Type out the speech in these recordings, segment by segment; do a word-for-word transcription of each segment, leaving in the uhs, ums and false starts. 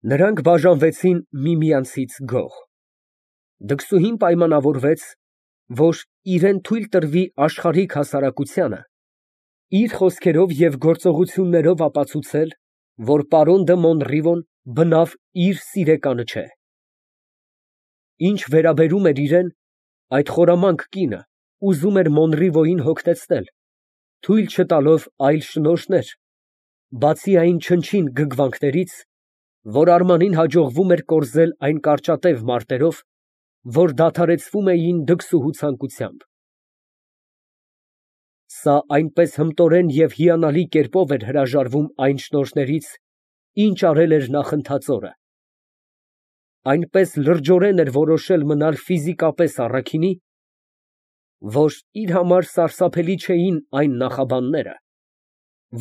Նրանք բաժանվեցին միմյանցից գոհ։ Դքսուհին պայմանավորվեց, որ իրան թույլ տրվի աշխարհիկ հասարակությանը իր խոսքերով և գործողություններով ապացուցել, որ պարոն դը Մոնռիվոն բնավ իր սիրեկանը չէ։ Ինչ վերաբերում էր իրան, այդ խորամանկ կինը ուզում էր Մոնռիվոյին հոգնեցնել, թույլ չտալով այլ շնորհներ, բացի այն չնչին գրգռվանքներից, որ Արմանին հաջողվում էր կորզել այն կարճատև մարտերով, որ դադարեցվում էին դքսուհու ցանկությամբ։ Սա այնպես հմտորեն և հիանալի կերպով էր հրաժարվում այն շնորհներից, ինչ արել էր նախընթացորը, այնպես լրջորեն էր որոշել մնալ ֆիզիկապես առաքինի, որ իր համար սարսափելի չէին այն նախաբանները,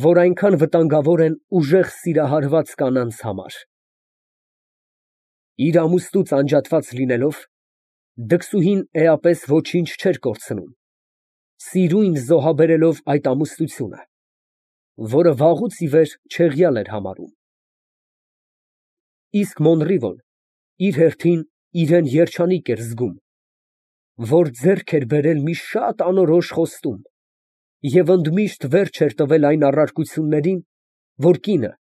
որ այնքան վտանգավոր են ուժեղ սիրահարված կանանց համար։ Իր ամուսնուց անջատված լինելով, դքսուհին էապես ոչինչ չէր կորցնում, սիրուն զոհաբերելով այդ ամուսնությունը, որը վաղուց ի վեր չեղյալ էր համարում։ Իսկ Մոնռիվոն իր հերթին իրան երջանիկ էր զգում, որ ձեռք էր բերել մի շատ անորոշ խոստում և ընդմիշտ վերջ էր տվել այն առարկություններին, որ կինը,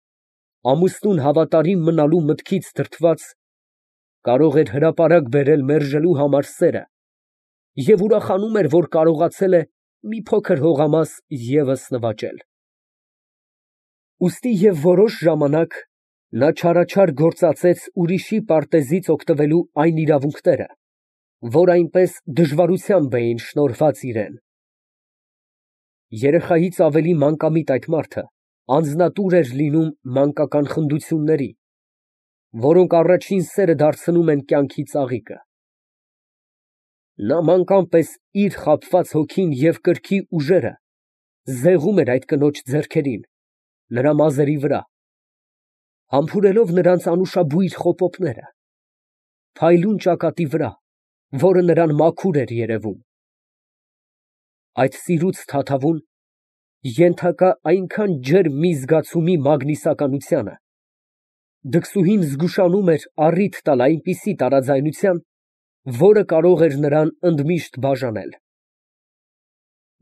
ամուսնուն հավատարիմ մնալու մտքից դրդված, կարող էր հրապարակ բերել մերժելու համար սերը և ուրախանում էր, որ կարողացել է մի փոքր հողամաս ևս նվաճել։ Ուստի և որոշ ժամանակ նա չարաչար գործածեց ուրիշի պարտեզից օգտվելու այն իրավունքները, որ այնպես դժվարությամբ էին շնորհված իրան։ Երեխայից ավելի մանկամիտ այդ մարդը անձնատուր էր լինում մանկական խնդությունների, որոնք առաջին սերը դարձնում են կյանքի ծաղիկը։ Նա մանկան պես իր խաբված հոգին և կրքի ուժերը զեղում էր այդ կնոջ ձեռքերին, նրա մազերի վրա, համբուրելով նրանց անուշաբույր խոպոպները, փայլուն ճակատի վրա, որը նրան մաքուր էր երևում։ Այդ սիրուց թաթավուն, ենթակա այնքան ջերմ մի զգացումի մագնիսականությանը, դքսուհին զգուշանում էր առիթ տալ այնպիսի տարաձայնության, որը կարող էր նրան ընդմիշտ բաժանել։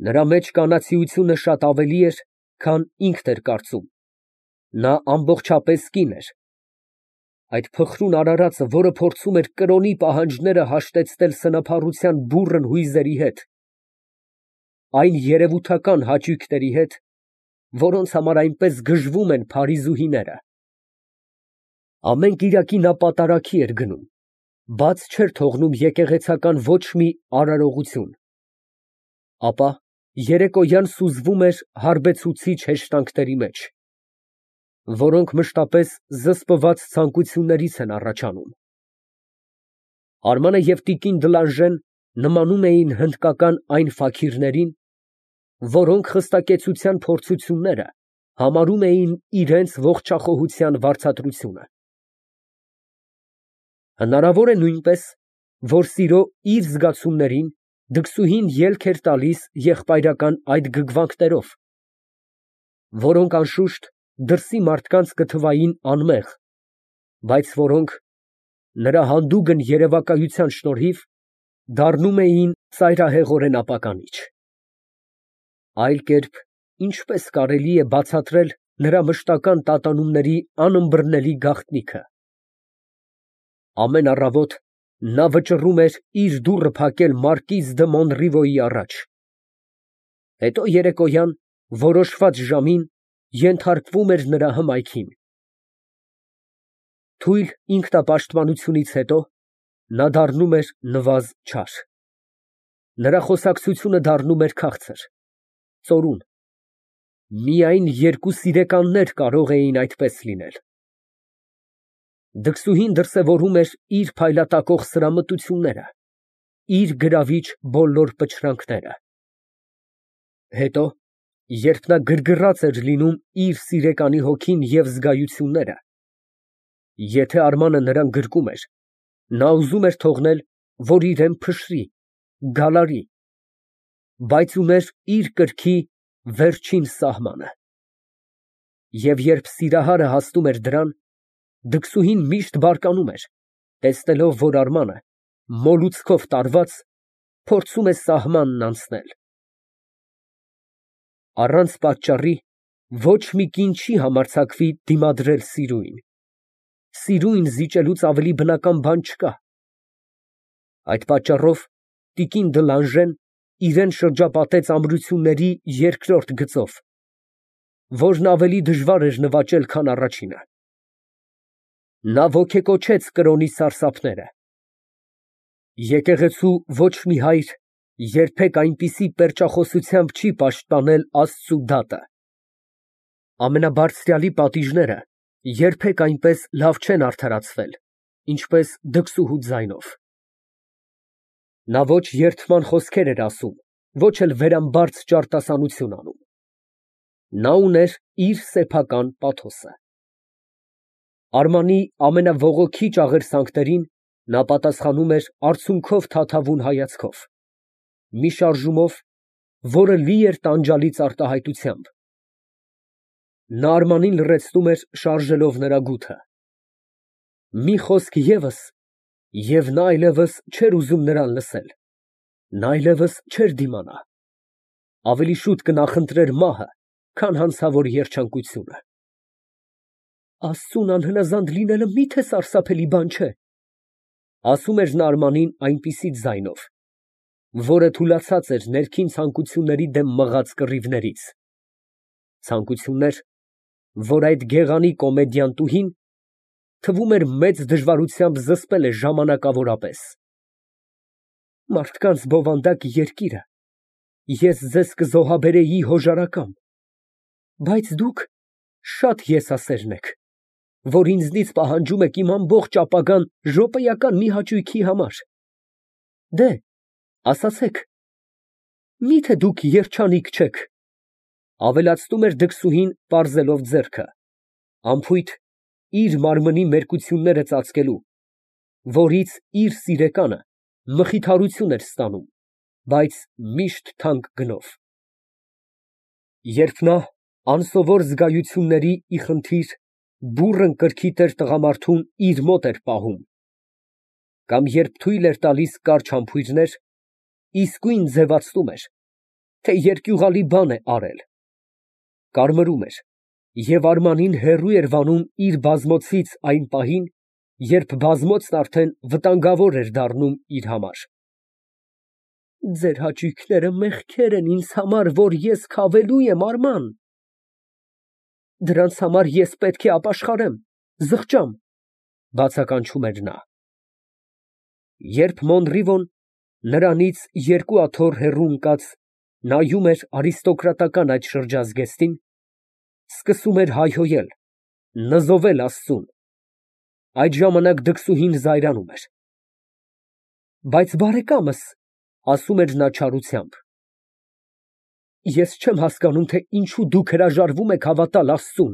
Նրա մեջ կանացիությունը շատ ավելի էր, քան ինքն էր կարծում, նա ամբողջապես կին էր, այդ փխրուն արարածը, որը փորձում էր կրոնի պահանջները հաշտեցնել սնափառության բուռն հույզերի հետ, այն երևութական հաճույքների հետ, որոնց համար այնպես գժվում են փարիզուհիները։ Ամեն կիրակի նա պատարագի էր գնում, բաց չէր թողնում եկեղեցական ոչ մի արարողություն, ապա երեկոյան սուզվում էր հարբեցուցիչ հեշտանքների մեջ, որոնք մշտապես զսպված ցանկություններից են առաջանում։ Արմանը և տիկին Դլանժեն նմանում էին հնդկական այն ֆաքիրներին, որոնք խստակեցության փորձությունները համարում էին իրենց ողջախոհության վարձատրությունը։ Հնարավոր է նույնպես, որ սիրո իր զգացումներին դքսուհին ելք էր տալիս եղբայրական այդ գրգռվանքներով, որոնք անշուշտ դրսի մարդկանց կթվային անմեղ, բայց որոնք, նրա հանդուգն երևակայության շնորհիվ, դառնում էին ծայրահեղորեն ապականիչ։ Այլ կերպ ինչպե՞ս կարելի է բացատրել նրա մշտական տատանումների անըմբռնելի գաղտնիքը։ Ամեն առավոտ նա վճռում էր իր դուռը փակել մարկիզ դը Մոնռիվոյի առաջ, հետո երեկոյան որոշված ժամին ենթարկվում էր նրա հմայքին։ Թույլ ինքնապաշտպանությունից հետո նա դառնում էր նվազ չար, նրա խոսակցությունը դառնում էր քաղցր, ծորուն, միայն երկու սիրեկաններ կարող էին այդպես լինել։ Դքսուհին դրսևորում էր իր փայլատակող սրամտությունները, իր գրավիչ բոլոր պչրանքները։ Հետո, երբ նա գրգռած էր լինում իր սիրեկանի հոգին և զգայությունները, եթե Արմանը նրան գրկում էր, նա ուզում էր թողնել, որ իրան փշրի, գալարի, բայց ուներ իր կրքի վերջին սահմանը։ Եվ երբ սիրահարը հասնում էր դրան, Դքսուհին միշտ բարկանում էր, տեսնելով, որ Արմանը, մոլուցքով տարված, փորձում է սահմանն անցնել։ Առանց պատճառի ոչ մի կին չի համարձակվի դիմադրել սիրուին։ Սիրուն զիջելուց ավելի բնական բան չկա։ Այդ պատճառով տիկին Դլանժեն իրան շրջապատեց ամրությունների երկրորդ գծով, որն ավելի դժվար էր նվաճել, քան առաջինը։ Նա ոգեկոչեց կրոնի սարսափները։ Եկեղեցու ոչ մի հայր երբեք այնպիսի պերճախոսությամբ չի պաշտպանել Աստծու դատը։ Ամենաբարձրյալի պատիժները երբեք այնպես լավ չեն արդարացվել, ինչպես դքսուհու ձայնով։ Նա ոչ երդման խոսքեր էր ասում, ոչ էլ վերամբարձ ճարտասանություն անում։ Նա ուներ իր սեփական պաթոսը։ Արմանի ամենավողոքի աղերսանքներին նա պատասխանում էր արցունքով թաթավուն հայացքով, մի շարժումով, որը լի էր տանջալից արտահայտությամբ։ Նա Արմանին լռեցնում էր շարժելով նրա գութը։ Մի խոսք ևս, և նա այլևս չէր ուզում նրան լսել, նա այլևս չէր դիմանա, ավելի շուտ կնախընտրեր մահը, քան հանցավոր երջանկությունը։ Աստծուն անհնազանդ լինելը մի՞թե սարսափելի բան չէ, ասում էր նա Արմանին այնպիսի ձայնով, որը թուլացած էր ներքին ցանկությունների դեմ մղած կռիվներից, ցանկություններ, որ այդ գեղանի կոմեդիանտուհին, թվում էր, մեծ դժվարությամբ զսպել է ժամանակավորապես։ Մարդկանց բովանդակ երկիրը, ես ձեզ կզոհաբերեի հոժարակամ, բայց դուք շատ եսասերն եք, որ ինձնից պահանջում եք իմ ամբողջ ապագան րոպեական մի հաճույքի համար։ Դե, ասացեք, մի՞թե դուք երջանիկ չեք, ավելացնում էր դքսուհին, պարզելով ձեռքը, անփույթ իր մարմնի մերկությունները ծածկելու, որից իր սիրեկանը մխիթարություն էր ստանում, բայց միշտ թանկ գնով։ Երբ նա անսովոր զգայությունների ի խնդիր բուռն կրքիթ էր տղամարդուն իր մոտ էր պահում, կամ երբ թույլ էր տալիս կարճ համբույրներ, իսկույն ձևացնում էր, թե երկյուղալի բան է արել, կարմրում էր և Արմանին հեռու էր վանում իր բազմոցից այն պահին, երբ բազմոցն արդեն վտանգավոր էր դառնում իր համար։ Ձեր հաճույքները մեղքեր են ինձ համար, որ ես քավելու եմ, Արման, դրանց համար ես պետք է ապաշխարեմ, զղջամ, բացականչում էր նա։ Երբ Մոնրիվոն, նրանից երկու աթոռ հեռու ընկած, նայում էր արիստոկրատական այդ շրջազգեստին, սկսում էր հայհոյել, նզովել Աստծուն, այդ ժամանակ դքսուհին զայրանում էր։ Բայց բարեկամս, ասում էր նա չարությամբ, ես չեմ հասկանում, թե ինչու դուք հրաժարվում եք հավատալ Աստծուն,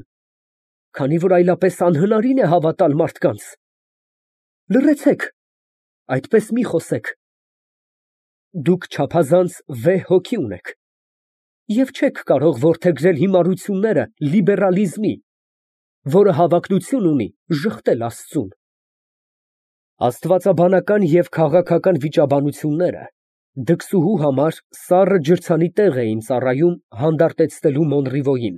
քանի որ այլապես անհնարին է հավատալ մարդկանց։ Լռեցեք, այդպես մի խոսեք։ Դուք չափազանց վեհ հոգի ունեք և չեք կարող որդեգրել հիմարությունները լիբերալիզմի, որը հավակնություն ունի ժխտել Աստծուն։ Աստվածաբանական և քաղաքական վիճաբանությունները դքսուհու համար սառը ջրցանի տեղ էին ծառայում հանդարտեցնելու Մոնրիվոյին,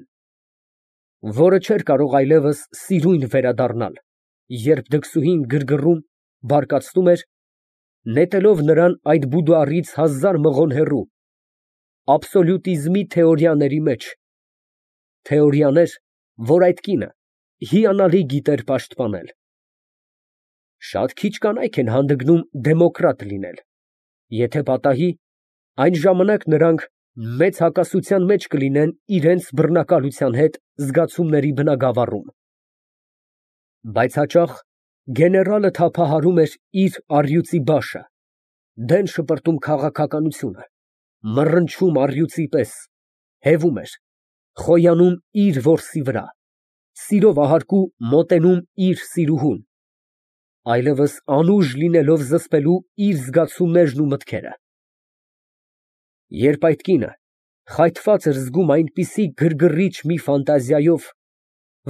որը չէր կարող այլևս սիրուն վերադառնալ, երբ դքսուհին գրգռում, բարկացնում էր, նետելով նրան այդ բուդուարից հազար մղոն հեռու, աբսոլյուտիզմի թեորիաների մեջ, թեորիաներ, որ այդ կինը հիանալի գիտեր պաշտպանել։ Շատ քիչ կանայք են հանդգնում դեմոկրատ լինել, եթե պատահի, այն ժամանակ նրանք մեծ հակասության մեջ կլինեն իրենց բռնակալության հետ զգացումների բնագավառում։ Բայց հաճախ գեներալը թափահարում էր իր առյուծի բաշը, դեն շպրտում քաղաքականությունը, մռնչում առյուծի պես, հևում էր, խոյանում իր որսի վրա, սիրով ahարկու մոտենում իր սիրուհուն, այլևս անուժ լինելով զսպելու իր զգացումներն ու մտքերը։ Երբ այդ կինը խայթված էր զգում այնպիսի գրգռիչ մի ֆանտազիայով,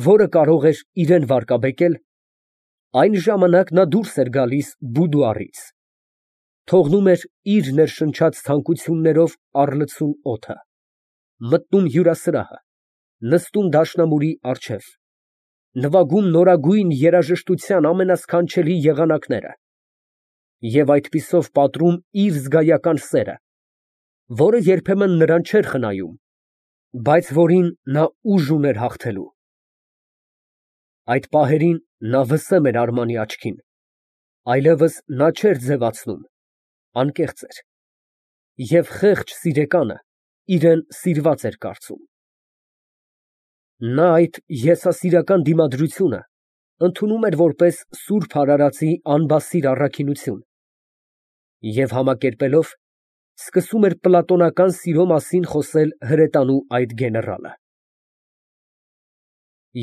որը կարող էր իրան վարկաբեկել, Այն ժամանակ նա դուրս էր գալիս բուդուարից, թողնում էր իր ներշնչած ցանկություններով առլցուն օդը, մտնում հյուրասրահը, նստում դաշնամուրի առջև, նվագում նորագույն երաժշտության ամենասքանչելի եղանակները և այդպիսով պատռում իր զգայական սերը, որը երբեմն նրան չէր խնայում, բայց որին նա ուժ ուներ հաղթելու։ Այդ պահերին նա վսեմ էր Արմանի աչքին, այլևս նա չէր ձևացնում, անկեղծ էր, և խեղճ սիրեկանը իրան սիրված էր կարծում։ Նա այդ եսասիրական դիմադրությունը ընդունում էր որպես սուրբ արարածի անբասիր առաքինություն և համակերպելով, սկսում էր պլատոնական սիրո մասին խոսել հրետանու այդ գեներալը։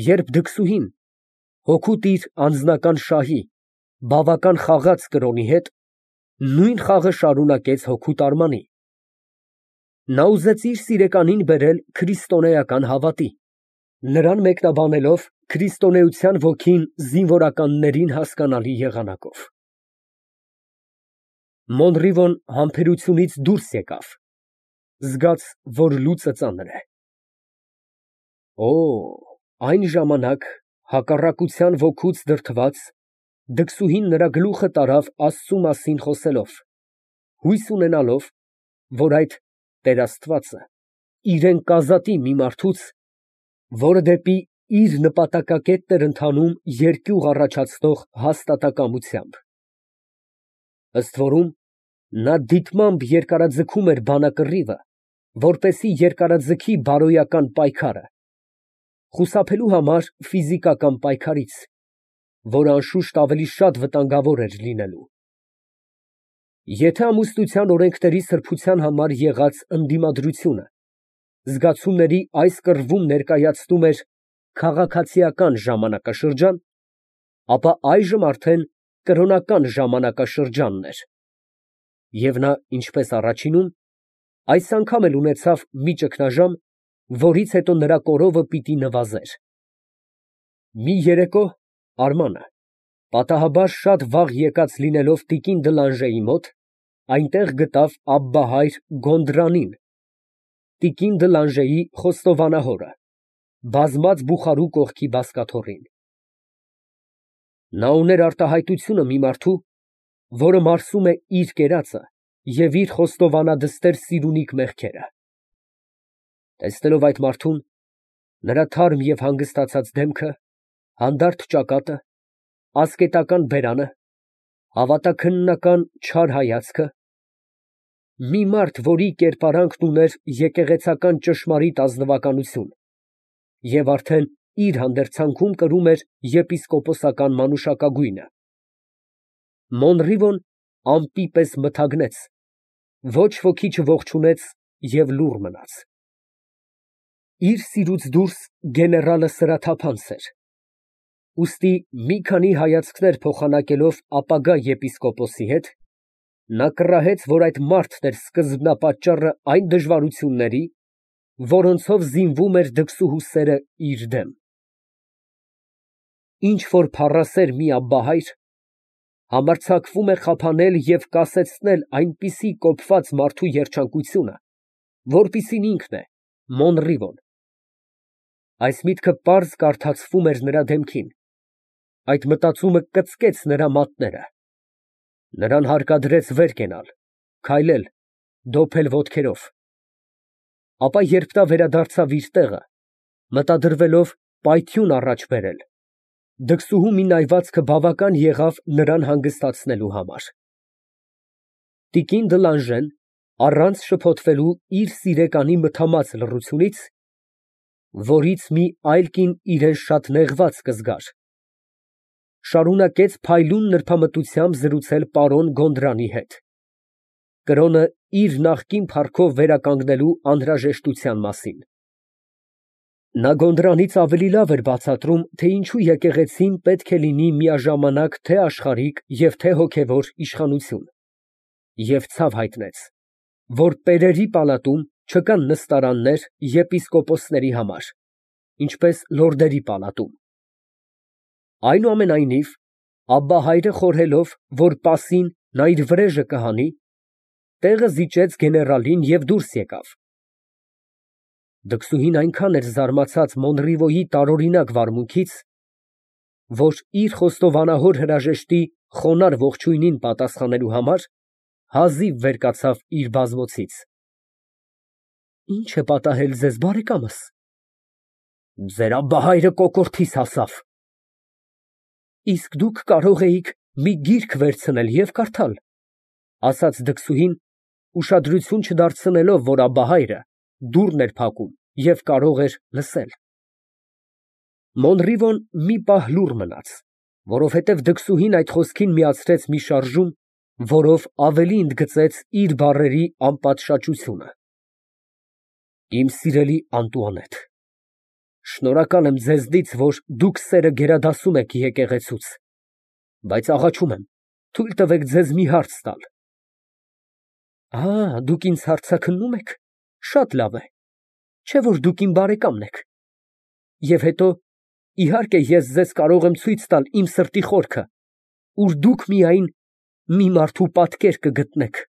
Երբ դքսուհին, հօգուտ իր անձնական շահի, բավական խաղաց կրոնի հետ, նույն խաղը շարունակեց հօգուտ Արմանի, նա ուզեց իր սիրեկանին բերել քրիստոնեական հավատի, նրան մեկնաբանելով քրիստոնեության ոգին զինվորականներին հասկանալի եղանակով։ Մոնրիվոն համբերությունից դուրս եկավ, զգաց, որ լուծը ծանր է։ Օ, այն ժամանակ, հակառակության ոգուց դրդված, դքսուհին նրա գլուխը տարավ Աստծու մասին խոսելով, հույս ունենալով, որ այդ տեր Աստվածը իրան կազատի մի մարդուց, որը դեպի իր նպատակակետն էր ընթանում երկյուղ առաջացնող հաստատակամությամբ։ Ըստ որում, նա դիտմամբ երկարաձգում էր բանակռիվը, որպեսզի երկարաձգի բարոյական պայքարը, խուսափելու համար ֆիզիկական պայքարից, որը անշուշտ ավելի շատ վտանգավոր էր լինելու։ Եթե ամուսնության օրենքների սրբության համար եղած ընդդիմադրությունը զգացումների այս կռվում ներկայացնում էր քաղաքացիական ժամանակաշրջան, ապա այժմ արդեն կրոնական ժամանակաշրջանն էր, և նա, ինչպես առաջինում, այս անգամ էլ ունեցավ մի ճգնաժամ, որից հետո նրա կորովը պիտի նվազեր։ Մի երեկո Արմանը, պատահաբար շատ վաղ եկած լինելով տիկին Դլանժեի մոտ, այնտեղ գտավ Աբբահայր Գոնդրանին, տիկին Դլանժեի խոստովանահորը, բազմած բուխարու կողքի բազկաթոռին։ Նա ուներ արտահայտությունը մի մարդու, որը մարսում է իր կերածը և իր խոստովանադստեր սիրունիկ մեղքերը։ Տեսնելով այդ մարդուն, նրա թարմ և հանգստացած դեմքը, հանդարտ ճակատը, ասկետական բերանը, հավատաքննական չար հայացքը, մի մարդ, որի կերպարանքն ուներ եկեղեցական ճշմարիտ ազնվականություն և արդեն իր հանդերձանքում կրում էր եպիսկոպոսական մանուշակագույնը, Մոնրիվոն ամպի պես մթագնեց, ոչ ոքի չողջունեց և լուռ մնաց։ Իր սիրուց դուրս գեներալը սրաթափանց էր, ուստի մի քանի հայացքներ փոխանակելով ապագա եպիսկոպոսի հետ, նա կռահեց, որ այդ մարդն էր սկզբնապատճառը այն դժվարությունների, որոնցով զինվում էր դքսուհու սերը իր դեմ։ Ինչ որ փառասեր մի Աբբահայր համարձակվում է խափանել և կասեցնել այնպիսի կոպված մարդու երջանկությունը, որպիսին ինքն է, Մոնրիվոն։ Այս միտքը պարզ կարդացվում էր նրա դեմքին, այդ մտածումը կծկեց նրա մատները, նրան հարկադրեց վեր կենալ, քայլել, դոփել ոտքերով, ապա երբ նա վերադարձավ իր տեղը, մտադրվելով պայթյուն առաջ բերել, դքսուհու մի նայվածքը բավական եղավ նրան հանգստացնելու համար։ Տիկին Դլանժեն, առանց շփոթվելու իր սիրեկանի մթամած լռությունից, որից մի այլ կին իրան շատ նեղված կզգար, շարունակեց փայլուն նրբամտությամբ զրուցել պարոն Գոնդրանի հետ, կրոնը իր նախկին փառքով վերականգնելու անհրաժեշտության մասին։ Նա Գոնդրանից ավելի լավ էր բացատրում, թե ինչու եկեղեցին պետք է լինի միաժամանակ թե աշխարհիկ և թե հոգևոր իշխանություն, և ցավ հայտնեց, որ պերերի պալատում չկան նստարաններ եպիսկոպոսների համար, ինչպես լորդերի պալատում։ Այնուամենայնիվ, Աբբահայրը խորհելով, որ պասին նա իր վրեժը կհանի, տեղը զիջեց գեներալին և դուրս եկավ։ Դքսուհին այնքան էր զարմացած Մոնրիվոյի տարօրինակ վարմունքից, որ իր խոստովանահոր հրաժեշտի խոնարհ ողջույնին պատասխանելու համար հազիվ վեր կացավ իր բազմոցից։ Ի՞նչ է պատահել ձեզ, բարեկամս։ Ձեր աբբահայրը կոկորդիս հասավ։ Իսկ դուք կարող էիք մի գիրք վերցնել և կարդալ, ասաց դքսուհին, ուշադրություն չդարձնելով, որ աբբահայրը դուռն էր փակում և կարող էր լսել։ Մոնրիվոն մի պահ լուռ մնաց, որովհետև դքսուհին այդ խոսքին միացրեց մի շարժում, որով ավելի ընդգծեց իր բառերի անպատշաճությունը։ Իմ սիրելի Անտուանետ, շնորհակալ եմ ձեզնից, որ դուք սերը գերադասում եք եկեղեցուց, բայց աղաչում եմ, թույլ տվեք ձեզ մի հարց տալ։ Ա, դուք ինձ հարցաքննո՞ւմ եք, շատ լավ է, չէ՞ որ դուք իմ բարեկամն եք։ Եվ հետո, իհարկե, ես ձեզ կարող եմ ցույց տալ իմ սրտի խորքը, ուր դուք միայն մի մարդու պատկեր կգտնեք։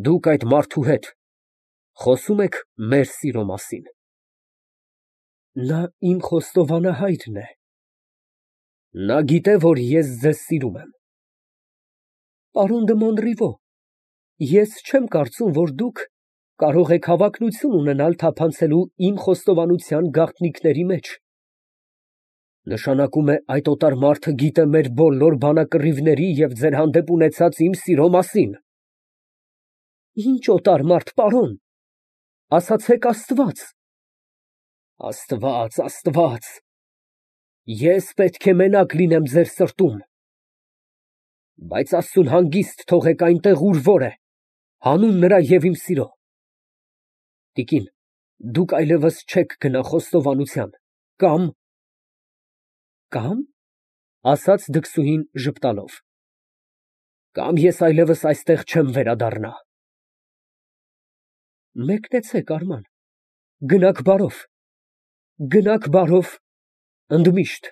Դուք այդ մարդու հետ խոսո՞ւմ եք մեր սիրո մասին։ Նա իմ խոստովանահայրն է։ Նա գիտե, որ ես ձեզ սիրում եմ։ Պարոն դը Մոնրիվո, ես չեմ կարծում, որ դուք կարող եք հավակնություն ունենալ թափանցելու իմ խոստովանության գաղտնիքների մեջ։ Նշանակում է, այդ օտար մարդը գիտե մեր բոլոր բանակռիվների և ձեր հանդեպ ունեցած իմ սիրո մասին։ Ինչ օտար մարդ, պարոն, ասացեք Աստված։ Աստված, Աստված, ես պետք է մենակ լինեմ ձեր սրտում։ Բայց Աստծուն հանգիստ թողեք այնտեղ, ուր որ է, հանուն նրա և իմ սիրո։ Տիկին, դուք այլևս չեք գնա խոստովանության, կամ… Կա՞մ, ասաց դքսուհին ժպտալով, կամ ես այլևս այստեղ չեմ վերադառնա։ Մեկնեցեք, Արման, գնաք բարով, գնաք բարով, ընդմիշտ։